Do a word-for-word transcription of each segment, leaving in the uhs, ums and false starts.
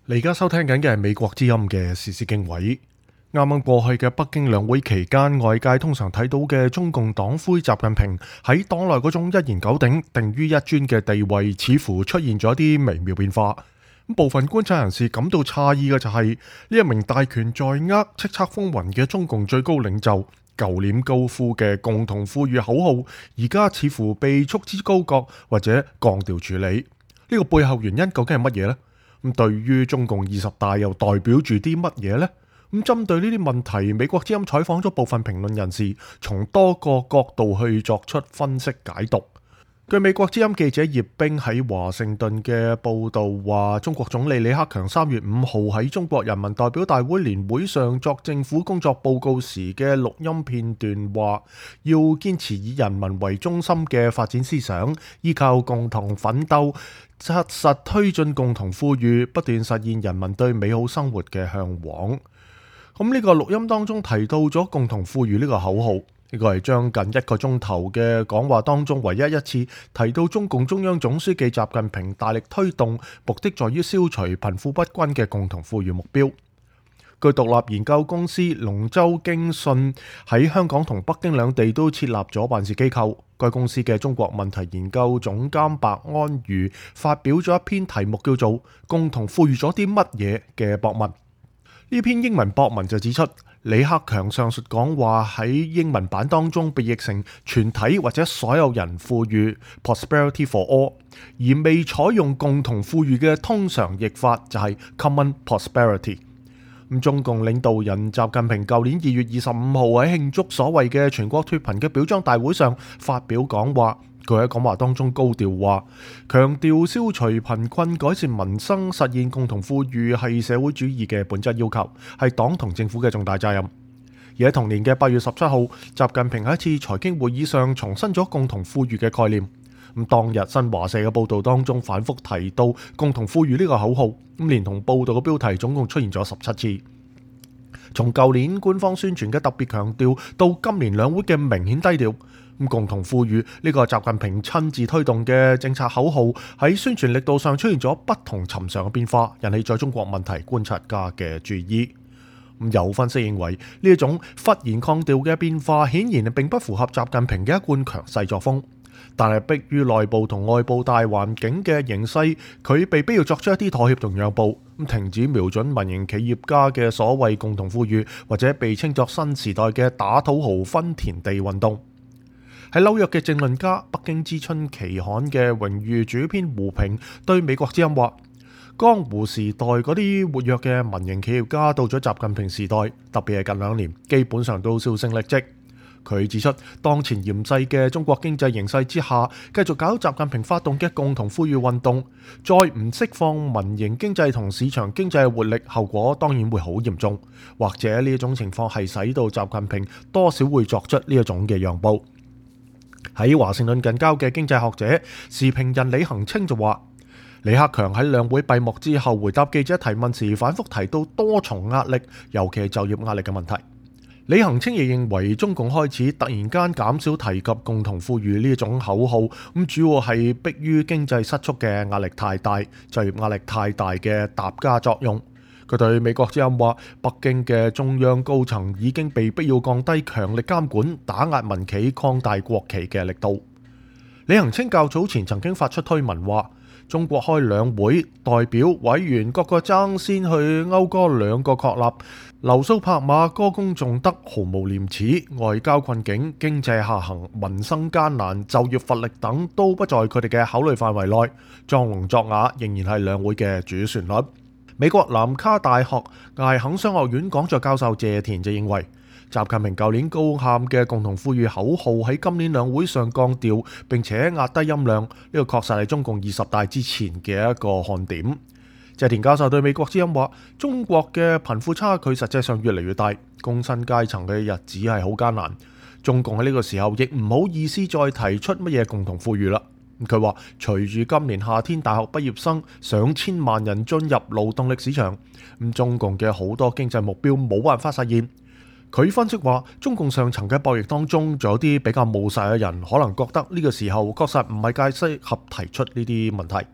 你而家收聽緊嘅係美國之音嘅時事經緯。啱啱過去嘅北京兩會期間，外界通常睇到嘅中共黨魁習近平喺黨內嗰種一言九鼎、定於一尊嘅地位，似乎出現咗啲微妙變化。部分觀察人士感到詫異嘅就係、是、呢一名大權在握、叱咤風雲嘅中共最高領袖，舊年高呼嘅共同富裕口號，而家似乎被束之高閣或者降調處理。呢、這個背後原因究竟係乜嘢呢？咁對於中共二十大又代表住啲乜嘢呢？咁針對呢啲問題，美國之音採訪咗部分評論人士，從多個角度去作出分析解讀。據美國之音記者葉冰喺華盛頓嘅報道話，中國總理李克強三月五號喺中國人民代表大會年會上作政府工作報告時嘅錄音片段話，要堅持以人民為中心嘅發展思想，依靠共同奮鬥，紮實推進共同富裕，不斷實現人民對美好生活嘅向往。咁呢個錄音當中提到咗共同富裕呢個口號。呢個係將近一個鐘頭嘅講話當中唯一一次提到中共中央總書記習近平大力推動，目的在於消除貧富不均嘅共同富裕目標。據獨立研究公司龍舟經訊喺香港同北京兩地都設立咗辦事機構。該公司嘅中國問題研究總監白安如發表咗一篇題目叫做《共同富裕咗啲乜嘢》嘅博文。呢篇英文博文就指出，李克強上述講話喺英文版當中被譯成全體或者所有人富裕 （prosperity for all）， 而未採用共同富裕嘅通常譯法就係 common prosperity。咁中共領導人習近平舊年二月二十五號喺慶祝所謂嘅全國脫貧嘅表彰大會上發表講話。佢喺講話當中高調話，強調消除貧困、改善民生、實現共同富裕係社會主義嘅本質要求，係黨同政府嘅重大責任。而喺同年嘅八月十七號，習近平喺一次財經會議上重申咗共同富裕嘅概念。咁當日新華社嘅報導當中反覆提到共同富裕呢個口號，咁連同報導嘅標題總共出現咗十七次。從舊年官方宣傳嘅特別強調，到今年兩會嘅明顯低調。共同富裕呢個習近平親自推動嘅政策口號喺宣傳力度上出現咗不同尋常嘅變化，引起在中國問題觀察家嘅注意。有分析認為，呢一種忽然抗調嘅變化顯然並不符合習近平嘅一貫強勢作風，但係迫於內部同外部大環境嘅形勢，佢被必要作出一啲妥協同讓步，停止瞄準民營企業家嘅所謂共同富裕，或者被稱作新時代嘅打土豪分田地運動。喺紐約嘅政論家、北京之春期刊嘅榮譽主編胡平對美國之音話，江湖時代嗰啲活躍嘅民營企業家到咗習近平時代，特別係近兩年，基本上都銷聲匿跡。佢指出，當前嚴厲嘅中國經濟形勢之下，繼續搞習近平發動嘅共同富裕運動，再唔釋放民營經濟同市場經濟嘅活力，後果當然會好嚴重。或者呢一種情況係使到習近平多少會作出呢一種嘅讓步。喺華盛頓近郊嘅經濟學者、時評人李恒清就話，李克強喺兩會閉幕之後回答記者提問時，反覆提到多重壓力，尤其係就業壓力嘅問題。李恒清亦認為，中共開始突然間減少提及共同富裕呢種口號，咁主要係迫於經濟失速嘅壓力太大、就業壓力太大嘅疊加作用。佢對美國之音話，北京嘅中央高層已經被逼要降低強力監管，打壓民企、擴大國企嘅力度。李恒清較早前曾經發出推文話，中國開兩會，代表委員各個爭先去謳歌兩個確立，流蘇拍馬，歌功頌德，毫無廉恥，外交困境、經濟下行、民生艱難、就業乏力等都不在佢哋嘅考慮範圍內，裝聾作啞仍然係兩會嘅主旋律。美國南卡大學艾肯商學院講座教授謝田就認為，習近平舊年高喊嘅共同富裕口號喺今年兩會上降調，並且壓低音量，呢個確實係中共二十大之前嘅一個看點。謝田教授對美國之音話，中國嘅貧富差距實際上越嚟越大，工薪階層嘅日子係好艱難。中共喺呢個時候亦唔好意思再提出乜嘢共同富裕啦。佢話，隨住今年夏天大學畢業生上千萬人進入勞動力市場，咁中共嘅好多經濟目標冇辦法實現。佢分析話，中共上層嘅博弈當中，仲有啲比較務實嘅人，可能覺得呢個時候確實唔係太適合提出呢啲問題。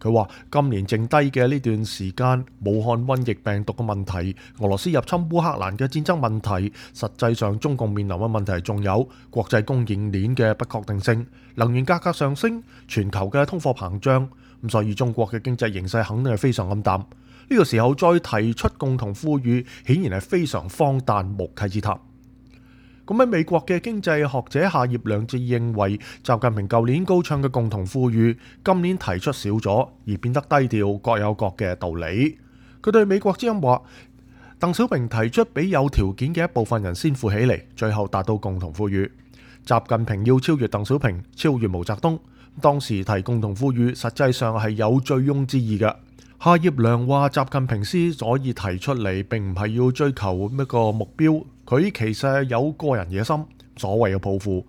佢話今年剩低嘅呢段時間，武漢瘟疫病毒嘅問題、俄羅斯入侵烏克蘭嘅戰爭問題，實際上中共面臨嘅問題仲有國際供應鏈嘅不確定性、能源價格上升、全球嘅通貨膨脹。咁所以中國嘅經濟形勢肯定係非常暗淡。呢、這個時候再提出共同富裕，顯然係非常荒誕無稽之談。咁喺美國嘅經濟學者夏業良就認為，習近平舊年高唱嘅共同富裕，今年提出少咗，而變得低調，各有各嘅道理。佢對美國之音話，鄧小平提出俾有條件嘅一部分人先富起嚟，最後達到共同富裕。習近平要超越鄧小平，超越毛澤東。當時提共同富裕，實際上係有醉翁之意嘅。夏業良話，習近平之所以提出嚟，並唔係要追求一個目標，佢其實係有個人野心，所謂嘅抱負。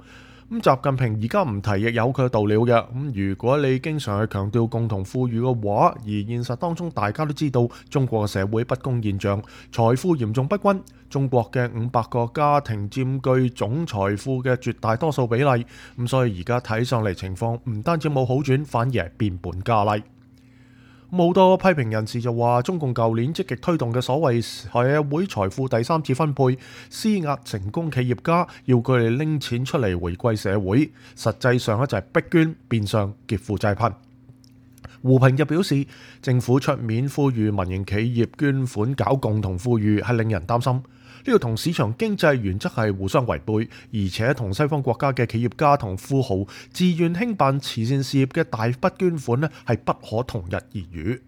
咁習近平而家唔提，亦有佢嘅道理嘅。咁如果你經常去強調共同富裕嘅話，而現實當中大家都知道中國嘅社會不公現象，財富嚴重不均，中國嘅五百個家庭佔據總財富嘅絕大多數比例。咁所以而家睇上嚟情況唔單止冇好轉，反而係變本加厲。好多批評人士就話，中共舊年積極推動嘅所謂社會財富第三次分配，施壓成功企業家，要佢哋拎錢出嚟回饋社會，實際上咧就係逼捐，變相劫富濟貧。胡平就表示，政府出面呼籲民營企業捐款搞共同富裕，係令人擔心。呢個同市場經濟原則係互相違背，而且同西方國家嘅企業家同富豪自願興辦慈善事業嘅大筆捐款呢，係不可同日而語。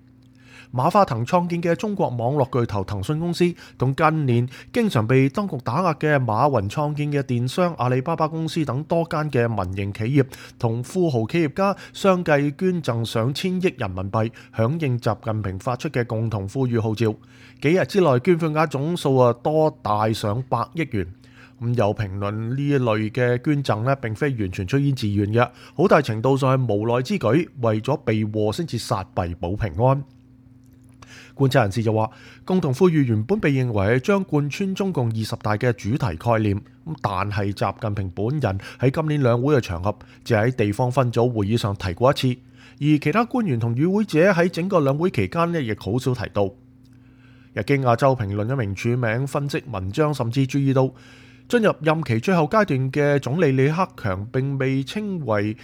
馬化騰創建嘅中國網絡巨頭騰訊公司，同近年經常被當局打壓嘅馬雲創建嘅電商阿里巴巴公司等多間嘅民營企業同富豪企業家，相繼捐贈上千億人民幣，響應習近平發出嘅共同富裕號召。幾日之內捐款額總數啊多大上百億元。咁有評論呢一類嘅捐贈呢，並非完全出於自願嘅，好大程度上係無奈之舉，為咗避禍先至殺弊保平安。觀察人士就話，共同富裕原本被認為係將貫穿中共二十大嘅主題概念，咁但係習近平本人喺今年兩會嘅場合，只喺地方分組會議上提過一次，而其他官員同與會者喺整個兩會期間呢，亦好少提到。日經亞洲評論一名署名分析文章，甚至注意到進入任期最後階段嘅總理李克強，並未稱為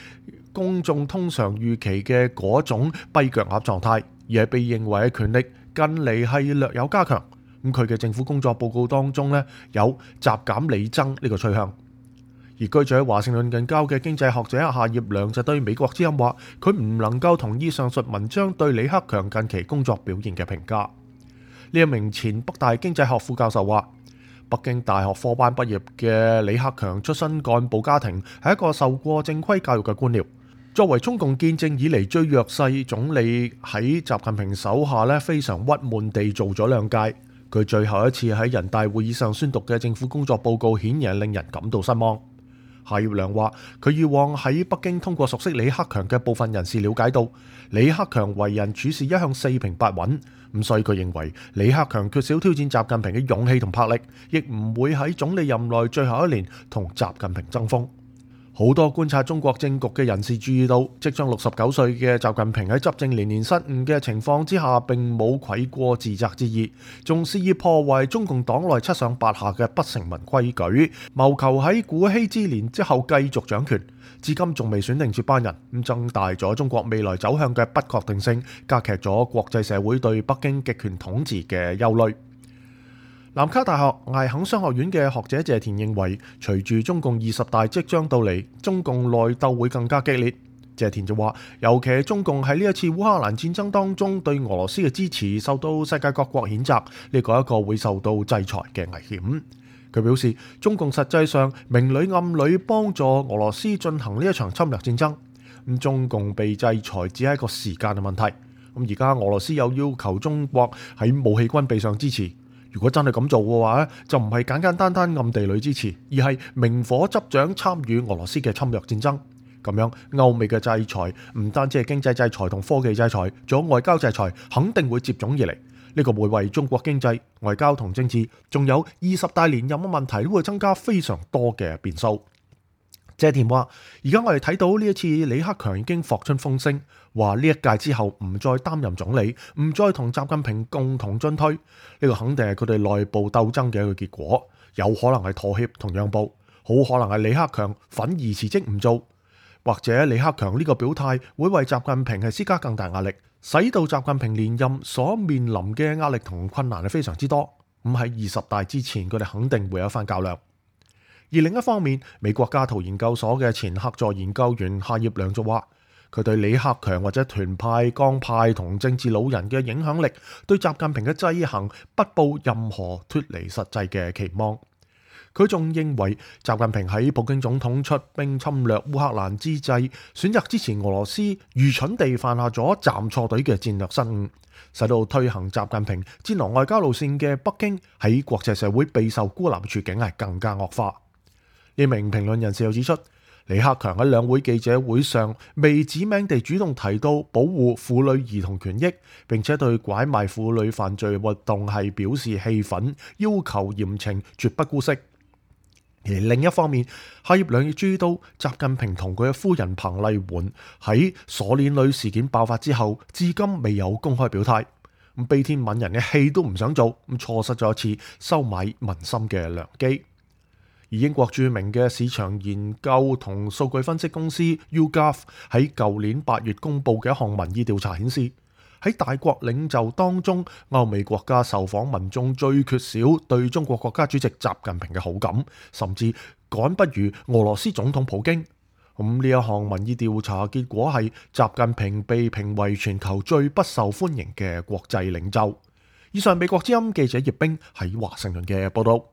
公眾通常預期嘅嗰種跛腳鴨狀態，而係被認為嘅權力近嚟係略有加強。咁佢嘅政府工作報告當中呢，有習減李增呢個趨向。而居住喺華盛頓近郊嘅經濟學者夏業良就對美國之音話，佢唔能夠同意上述文章對李克強近期工作表現嘅評價。呢一名前北大經濟學副教授話，北京大學科班畢業嘅李克強出身幹部家庭，係一個受過正規教育嘅官僚。作為中共建政以嚟最弱勢總理，喺習近平手下咧非常鬱悶地做咗兩屆。佢最後一次喺人大會議上宣讀嘅政府工作報告，顯然令人感到失望。夏業良話，佢以往喺北京通過熟悉李克強嘅部分人士了解到，李克強為人處事一向四平八穩，咁所以佢認為李克強缺少挑戰習近平嘅勇氣同魄力，亦唔會喺總理任內最後一年同習近平爭鋒。好多觀察中國政局嘅人士注意到，即將六十九歲嘅習近平喺執政連年失誤嘅情況之下，並冇愧過自責之意，仲肆意破壞中共黨內七上八下嘅不成文規矩，謀求喺古稀之年之後繼續掌權。至今仲未選定接班人，咁增大咗中國未來走向嘅不確定性，加劇咗國際社會對北京極權統治嘅憂慮。南卡大學艾肯商學院嘅學者謝田認為，隨住中共二十大即將到嚟，中共內鬥會更加激烈。謝田就話，尤其係中共喺呢一次烏克蘭戰爭當中對俄羅斯嘅支持受到世界各國譴責，呢個係一個會受到制裁嘅危險。佢表示，中共實際上明裏暗裏幫助俄羅斯進行呢一場侵略戰爭。咁中共被制裁只係一個時間嘅問題。咁而家俄羅斯又要求中國喺武器軍備上支持。如果真係咁做嘅話咧，就唔係簡簡單單暗地裏支持，而係明火執掌參與俄羅斯嘅侵略戰爭。咁樣歐美嘅制裁唔單止係經濟制裁同科技制裁，仲有外交制裁，肯定會接踵而嚟。呢個會為中國經濟、外交同政治，仲有二十大連任嘅問題，都會增加非常多嘅變數。謝田話：而家我哋睇到呢一次李克強已經霍出風聲，話呢一屆之後唔再擔任總理，唔再同習近平共同進退。呢個肯定係佢哋內部鬥爭嘅一個結果，有可能係妥協同讓步，好可能係李克強憤而辭職唔做，或者李克強呢個表態會為習近平係施加更大壓力，使到習近平連任所面臨嘅壓力同困難係非常之多。咁喺二十大之前，佢哋肯定會有一番較量。而另一方面，美國加圖研究所嘅前客座研究員夏業良就話，佢對李克強或者團派、江派同政治老人嘅影響力，對習近平嘅制衡不抱任何脫離實際嘅期望。佢仲認為，習近平喺普京總統出兵侵略烏克蘭之際，選擇支持俄羅斯，愚蠢地犯下咗站錯隊嘅戰略失誤，使到推行習近平戰狼外交路線嘅北京喺國際社會備受孤立嘅處境係更加惡化。呢名評論人士又指出，李克強喺兩會記者會上未指名地主動提到保護婦女兒童權益，並且對拐賣婦女犯罪活動係表示氣憤，要求嚴懲，絕不姑息。而另一方面，夏業良亦注意到習近平同佢嘅夫人彭麗媛喺鎖鏈女事件爆發之後，至今未有公開表態，咁悲天憫人嘅戲都唔想做，咁錯失咗一次收買民心嘅良機。而英國著名嘅市場研究同數據分析公司 YouGov 喺舊年八月公佈嘅一項民意調查顯示，喺大國領袖當中，歐美國家受訪民眾最缺少對中國國家主席習近平嘅好感，甚至趕不如俄羅斯總統普京。咁呢一項民意調查結果係習近平被評為全球最不受歡迎嘅國際領袖。以上美國之音記者葉冰喺華盛頓嘅報道。